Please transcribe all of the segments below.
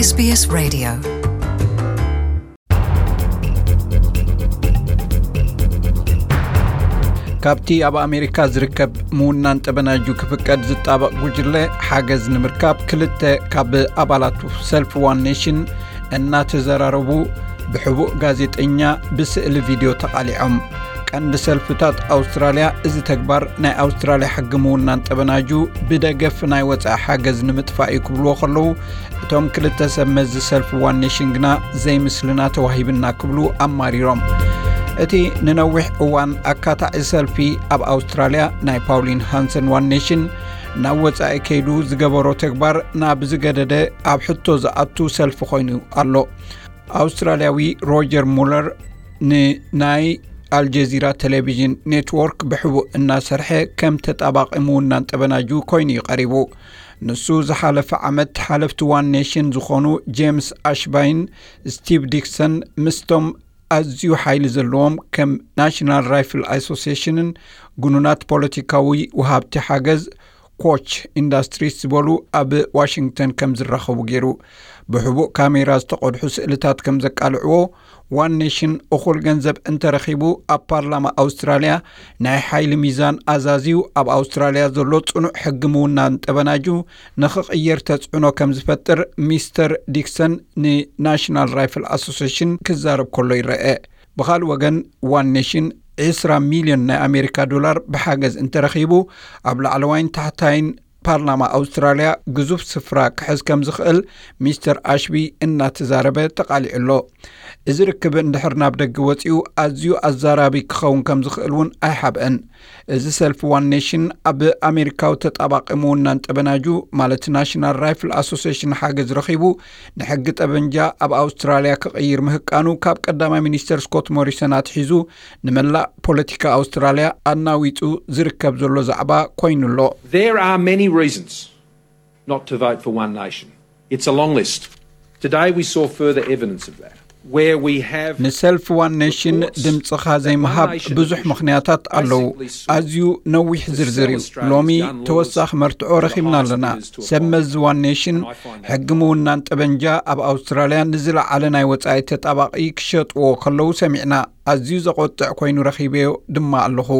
SBS Radio. ካብቲ ኣብ ኣሜሪካ ዝርከብ ምውናን ጠበናጁ ክፍቀድ ዝጣበቕ ጉጅለ ሓገዝ ንምርካብ ክልተ ካብ ኣባላቱ ሰልፊ ዋን ኔሽን እናተዘራረቡ ብሕቡእ ጋዜጠኛ ብስእሊ ቪድዮ ተቓሊዖም። ቀንዲ ሰልፍታት ኣውስትራልያ እዚ ተግባር ናይ ኣውስትራልያ ሕጊ ምውናን ጠበናጁ ብደገፍ ናይ ወጻኢ ሓገዝ ንምጥፋእ እዩ ክብልዎ ከለዉ፣ እቶም ክልተ ሰብ መዚ ሰልፊ ዋን ኔሽን ግና ዘይምስልና ተዋሂብና ክብሉ ኣማሪሮም። እቲ ንነዊሕ እዋን ኣካታዒ ሰልፊ ኣብ ኣውስትራልያ ናይ ፓውሊን ሃንሰን ዋን ኔሽን ናብ ወጻኢ ከይዱ ዝገበሮ ተግባር ናብ ዝገደደ ኣብ ሕቶ ዝኣቱ ሰልፊ ኮይኑ ኣሎ። ኣውስትራልያዊ ሮጀር ሙለር ንናይ ኣልጀዚራ ቴሌቪዥን ኔትወርክ ብሕቡእ እናሰርሐ ከም ተጣባቒ ምውናን ጠበናጁ ኮይኑ እዩ ቀሪቡ። ንሱ ዝሓለፈ ዓመት ሓለፍቲ ዋን ኔሽን ዝኾኑ ጄምስ ኣሽባይን ስቲቭ ዲክሰን ምስቶም ኣዝዩ ሓይሊ ዘለዎም ከም ናሽናል ራይፍል ኣሶሲሽንን ግኑናት ፖለቲካዊ ወሃብቲ ሓገዝ ኮች ኢንዳስትሪስ ዝበሉ ኣብ ዋሽንግተን ከም ዝራኸቡ ገይሩ። ብሕቡእ ካሜራ ዝተቐድሑ ስእልታት ከም ዘቃልዕዎ፣ ዋን ኔሽን እኹል ገንዘብ እንተረኺቡ ኣብ ፓርላማ ኣውስትራልያ ናይ ሓይሊ ሚዛን ኣዛዝዩ ኣብ ኣውስትራልያ ዘሎ ጽኑዕ ሕጊ ምውናን ጠበናጁ ንኽቕየር ተጽዕኖ ከም ዝፈጥር ሚስተር ዲክሰን ንናሽናል ራይፍል ኣሶሲሽን ክዛረብ ከሎ ይረአ። ብኻልእ ወገን ዋን ኔሽን ዕስራ ሚልዮን ናይ ኣሜሪካ ዶላር ብሓገዝ እንተረኺቡ ኣብ ላዕለዋይን ታሕታይን ፓርላማ ኣውስትራልያ ግዙፍ ስፍራ ክሕዝ ከም ዝኽእል ሚስተር ኣሽቢ እናተዛረበ ተቓሊዑ ኣሎ። እዚ ርክብ እንድሕር ናብ ደገ ወጺኡ ኣዝዩ ኣዛራቢ ክኸውን ከም ዝኽእል እውን ኣይሓብአን። እዚ ሰልፊ ዋን ኔሽን ኣብ ኣሜሪካዊ ተጣባቒ ምውናን ጠበናጁ ማለት ናሽናል ራይፍል ኣሶሲሽን ሓገዝ ረኺቡ ንሕጊ ጠበንጃ ኣብ ኣውስትራልያ ክቕይር ምህቃኑ ካብ ቀዳማይ ሚኒስተር ስኮት ሞሪሰን ኣትሒዙ ንመላእ ፖለቲካ ኣውስትራልያ ኣናዊጹ ዝርከብ ዘሎ ዛዕባ ኮይኑ ኣሎ። There are many reasons not to vote for One Nation. It's a long list. Today we saw further evidence of that, where we have ንሰልፊ ዋን ኔሽን ድምፅኻ ዘይምሃብ ብዙሕ ምኽንያታት ኣለዉ። ኣዝዩ ነዊሕ ዝርዝር እዩ። ሎሚ ተወሳኺ መርትዖ ረኺብና ኣለና። ሰብ መዚ ዋን ኔሽን ሕጊ ምውናን ጠበንጃ ኣብ ኣውስትራልያ ንዝለዓለ ናይ ወጻኢ ተጣባቒ ክሸጥዎ ከለዉ ሰሚዕና። ኣዝዩ ዘቖጥዕ ኮይኑ ረኺበዮ ድማ ኣለኹ።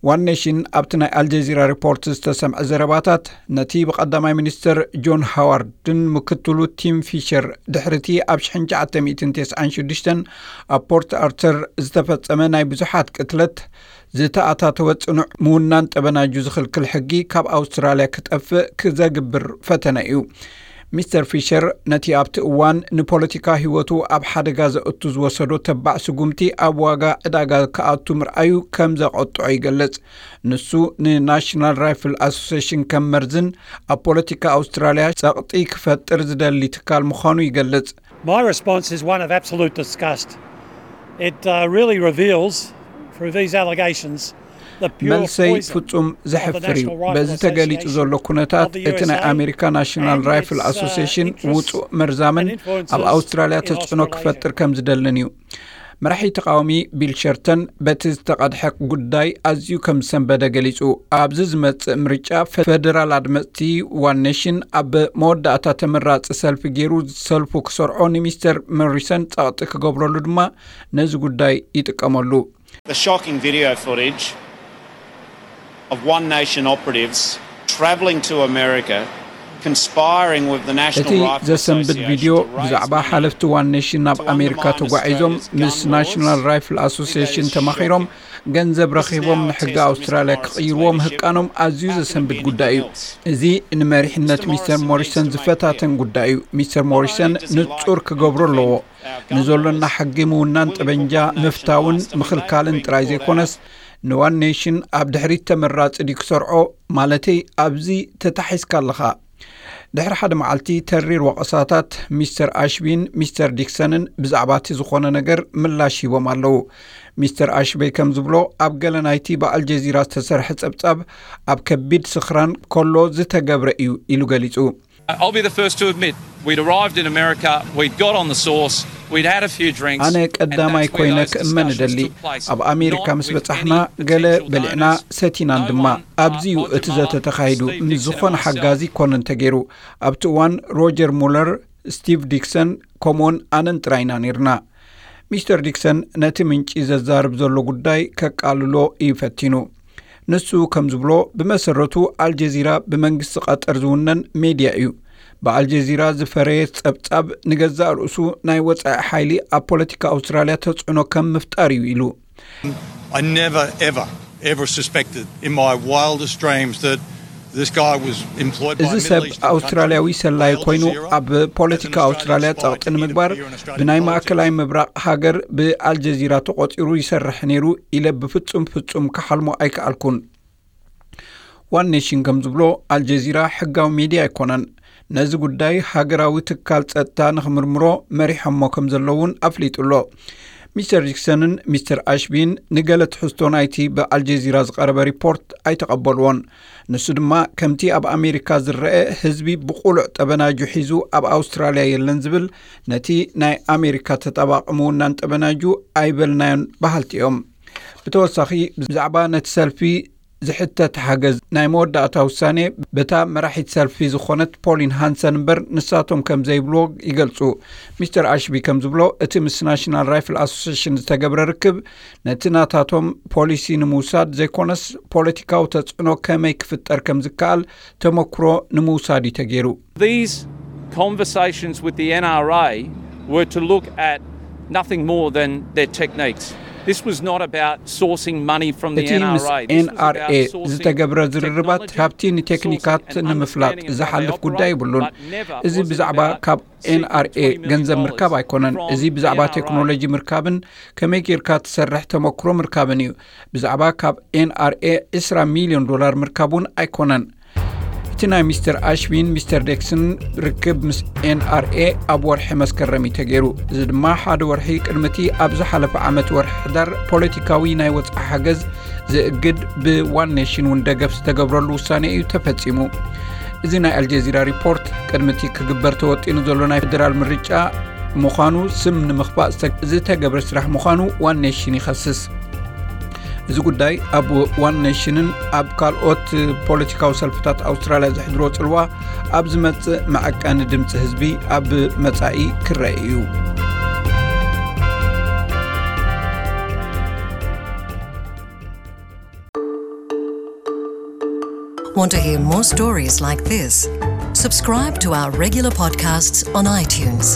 ዋን ኔሽን ኣብቲ ናይ ኣልጀዚራ ሪፖርት ዝተሰምዐ ዘረባታት፣ ነቲ ብቐዳማይ ሚኒስተር ጆን ሃዋርድን ምክትሉ ቲም ፊሸር ድሕሪቲ ኣብ ሽሕን ትሽዓተ ሚእትን ተስዓን ሽዱሽተን ኣብ ፖርት ኣርተር ዝተፈጸመ ናይ ብዙሓት ቅትለት ዝተኣታተወ ጽኑዕ ምውናን ጠበናጁ ዝኽልክል ሕጊ ካብ ኣውስትራልያ ክጠፍእ ክዘግብር ፈተነ እዩ። ሚስተር ፊሸር ነቲ ኣብቲ እዋን ንፖለቲካ ህይወቱ ኣብ ሓደጋ ዘእቱ ዝወሰዶ ተባዕ ስጉምቲ ኣብ ዋጋ ዕዳጋ ክኣቱ ምርኣዩ ከም ዘቖጥዖ ይገልጽ። ንሱ ንናሽናል ራይፍል ኣሶሲሽን ከም መርዝን ኣብ ፖለቲካ ኣውስትራልያ ጸቕጢ ክፈጥር ዝደሊ ትካል ምዃኑ ይገልጽ። My response is one of absolute disgust. It uh, really reveals through these allegations the pure መልሰይ poison ፍጹም ዘሕፍር እዩ። በዚ ተገሊጹ ዘሎ ኩነታት እቲ ናይ ኣሜሪካ ናሽናል ራይፍል ኣሶሲሽን ውጹእ መርዛምን ኣብ ኣውስትራልያ ተጽዕኖ ክፈጥር ከም ዝደልን እዩ። መራሒ ተቃዋሚ ቢል ሸርተን በቲ ዝተቐድሐ ጉዳይ ኣዝዩ ከም ዝሰንበደ ገሊጹ። ኣብዚ ዝመጽእ ምርጫ ፈደራል ኣድመጽቲ ዋን ኔሽን ኣብ መወዳእታ ተመራጺ ሰልፊ ገይሩ ሰልፉ ክሰርዖ ንሚስተር ሞሪሰን ጸቕጢ ክገብረሉ ድማ ነዚ ጉዳይ ይጥቀመሉ። The shocking video footage of One Nation operatives travelling to America, conspiring with the National እቲ Rifle ዘሰንብድ Association ቪድዮ to raise ብዛዕባ money ሓለፍቲ ዋን ኔሽን ናብ to ኣሜሪካ undermine ተጓዒዞም Australia's ምስ gun ናሽናል laws ራይፍል and ኣሶሲሽን pay their ተማኺሮም shocking ገንዘብ ረኺቦም ንሕጊ ኣውስትራልያ ክቕይርዎ ምህቃኖም ኣዝዩ ዘሰንብድ ጉዳይ እዩ። እዚ ንመሪሕነት ሚስተር ሞሪሰን ዝፈታተን ጉዳይ እዩ። ሚስተር ሞሪሰን ንጹር ክገብሮ ኣለዎ። ንዘሎና ሕጊ ምውናን ጠበንጃ ምፍታውን ምኽልካልን ጥራይ ዘይኮነስ፣ ንዋን ኔሽን ኣብ ድሕሪት ተመራጺ ድዩ ክሰርዖ? ማለተይ፣ ኣብዚ ተታሒዝካ ኣለኻ። ድሕሪ ሓደ መዓልቲ ተሪር ወቐሳታት፣ ሚስተር ኣሽቢን ሚስተር ዲክሰንን ብዛዕባ እቲ ዝኾነ ነገር ምላሽ ሂቦም ኣለዉ። ሚስተር ኣሽበይ ከም ዝብሎ፣ ኣብ ገለ ናይቲ ብኣልጀዚራ ዝተሰርሐ ጸብጻብ ኣብ ከቢድ ስኽራን ከሎ ዝተገብረ እዩ ኢሉ ገሊጹ። I'll be the first to admit, we'd arrived in America, we'd got on the sauce, we'd had a few drinks, ኣነ ቀዳማይ ኮይነ ክእመን እደሊ። ኣብ ኣሜሪካ ምስ በጻሕና ገለ በሊዕና ሰቲናን ድማ። ኣብዚ እዩ እቲ ዘተ ተኻይዱ። ምስ ዝኾነ ሓጋዚ ኣይኮነን ተገይሩ። ኣብቲ እዋን ሮጀር ሙለር ስቲቭ ዲክሰን ከምኡውን ኣነን ጥራይ ኢና ነይርና። ሚስተር ዲክሰን ነቲ ምንጪ ዘዛርብ ዘሎ ጉዳይ ከቃልሎ እዩ ፈቲኑ። ንሱ ከም ዝብሎ፣ ብመሰረቱ ኣልጀዚራ ብመንግስቲ ቀጠር ዝውነን ሜድያ እዩ። ብኣልጀዚራ ዝፈረየ ጸብጻብ ንገዛእ ርእሱ ናይ ወጻኢ ሓይሊ ኣብ ፖለቲካ ኣውስትራልያ ተጽዕኖ ከም ምፍጣር እዩ ኢሉ። I never, ever, ever suspected in my wildest dreams that this guy was employed by እዚ a Middle ሰብ Eastern country, ኣውስትራልያዊ ሰላይ by Al ኮይኑ Jazeera, ኣብ ፖለቲካ ኣውስትራልያ ጸቕጢ ንምግባር ብናይ ማእከላይ ምብራቕ ሃገር ብኣልጀዚራ ተቖጺሩ ይሰርሕ ነይሩ ኢለ ብፍጹም ፍጹም ክሓልሞ ኣይከኣልኩን። ዋን ኔሽን ከም ዝብሎ፣ ኣልጀዚራ ሕጋዊ ሜድያ ኣይኮነን። ነዚ ጉዳይ ሃገራዊ ትካል ጸጥታ ንኽምርምሮ መሪሖሞ ከም ዘለውን ኣፍሊጡ ኣሎ። ሚስተር ዲክሰንን ሚስተር ኣሽቢን ንገለ ትሕዝቶ ናይቲ ብኣልጀዚራ ዝቐረበ ሪፖርት ኣይተቐበልዎን። ንሱ ድማ፣ ከምቲ ኣብ ኣሜሪካ ዝረአ፣ ህዝቢ ብቑሉዕ ጠበናጁ ሒዙ ኣብ ኣውስትራልያ የለን ዝብል፣ ነቲ ናይ ኣሜሪካ ተጣባቒ ምውናን ጠበናጁ ኣይበልናዮን በሃልቲ እዮም። ብተወሳኺ፣ ብዛዕባ ነቲ ሰልፊ ዝሕተት ሓገዝ ናይ መወዳእታ ውሳኔ በታ መራሒት ሰልፊ ዝኾነት ፖሊን ሃንሰን እምበር ንሳቶም ከም ዘይብልዎ ይገልጹ። ሚስተር ኣሽቢ ከም ዝብሎ፣ እቲ ምስ ናሽናል ራይፍል ኣሶሲሽን ዝተገብረ ርክብ ነቲ ናታቶም ፖሊሲ ንምውሳድ ዘይኮነስ፣ ፖለቲካዊ ተጽዕኖ ከመይ ክፍጠር ከም ዝከኣል ተመክሮ ንምውሳድ እዩ ተገይሩ። These conversations with the N R A were to look at nothing more than their techniques. This was not about sourcing money from the እቲ ምስ N R A. ኤንኣርኤ ዝተገብረ ዝርርባት፣ ካብቲ ንቴክኒካት ንምፍላጥ ዝሓልፍ ጉዳይ ይብሉን። እዚ ብዛዕባ ካብ ኤንኣርኤ ገንዘብ ምርካብ ኣይኮነን። እዚ ብዛዕባ ቴክኖሎጂ ምርካብን ከመይ ጌርካ ትሰርሕ ተመክሮ ምርካብን እዩ። ብዛዕባ ካብ ኤንኣርኤ ዕስራ ሚልዮን ዶላር ምርካብ እውን ኣይኮነን። እቲ ናይ ሚስተር ኣሽቢን ሚስተር ዴክስን ርክብ ምስ ኤንኣርኤ ኣብ ወርሒ መስከረም እዩ ተገይሩ። እዚ ድማ ሓደ ወርሒ ቅድሚ እቲ ኣብ ዝሓለፈ ዓመት ወርሒ ሕዳር ፖለቲካዊ ናይ ወጻኢ ሓገዝ ዝእግድ ብዋን ኔሽን እውን ደገፍ ዝተገብረሉ ውሳኔ እዩ ተፈጺሙ። እዚ ናይ ኣልጀዚራ ሪፖርት ቅድሚ እቲ ክግበር ተወጢኑ ዘሎ ናይ ፌደራል ምርጫ ምዃኑ፣ ስም ንምኽፋእ ዝተገብረ ስራሕ ምዃኑ ዋን ኔሽን ይኸስስ። እዚ ጉዳይ ኣብ ዋን ኔሽንን ኣብ ካልኦት ፖለቲካዊ ሰልፍታት ኣውስትራልያ ዘሕድሮ ጽልዋ ኣብ ዝመጽእ መዐቀኒ ድምጺ ህዝቢ ኣብ መጻኢ ክረአ እዩ። Want to hear more stories like this? Subscribe to our regular podcasts on iTunes.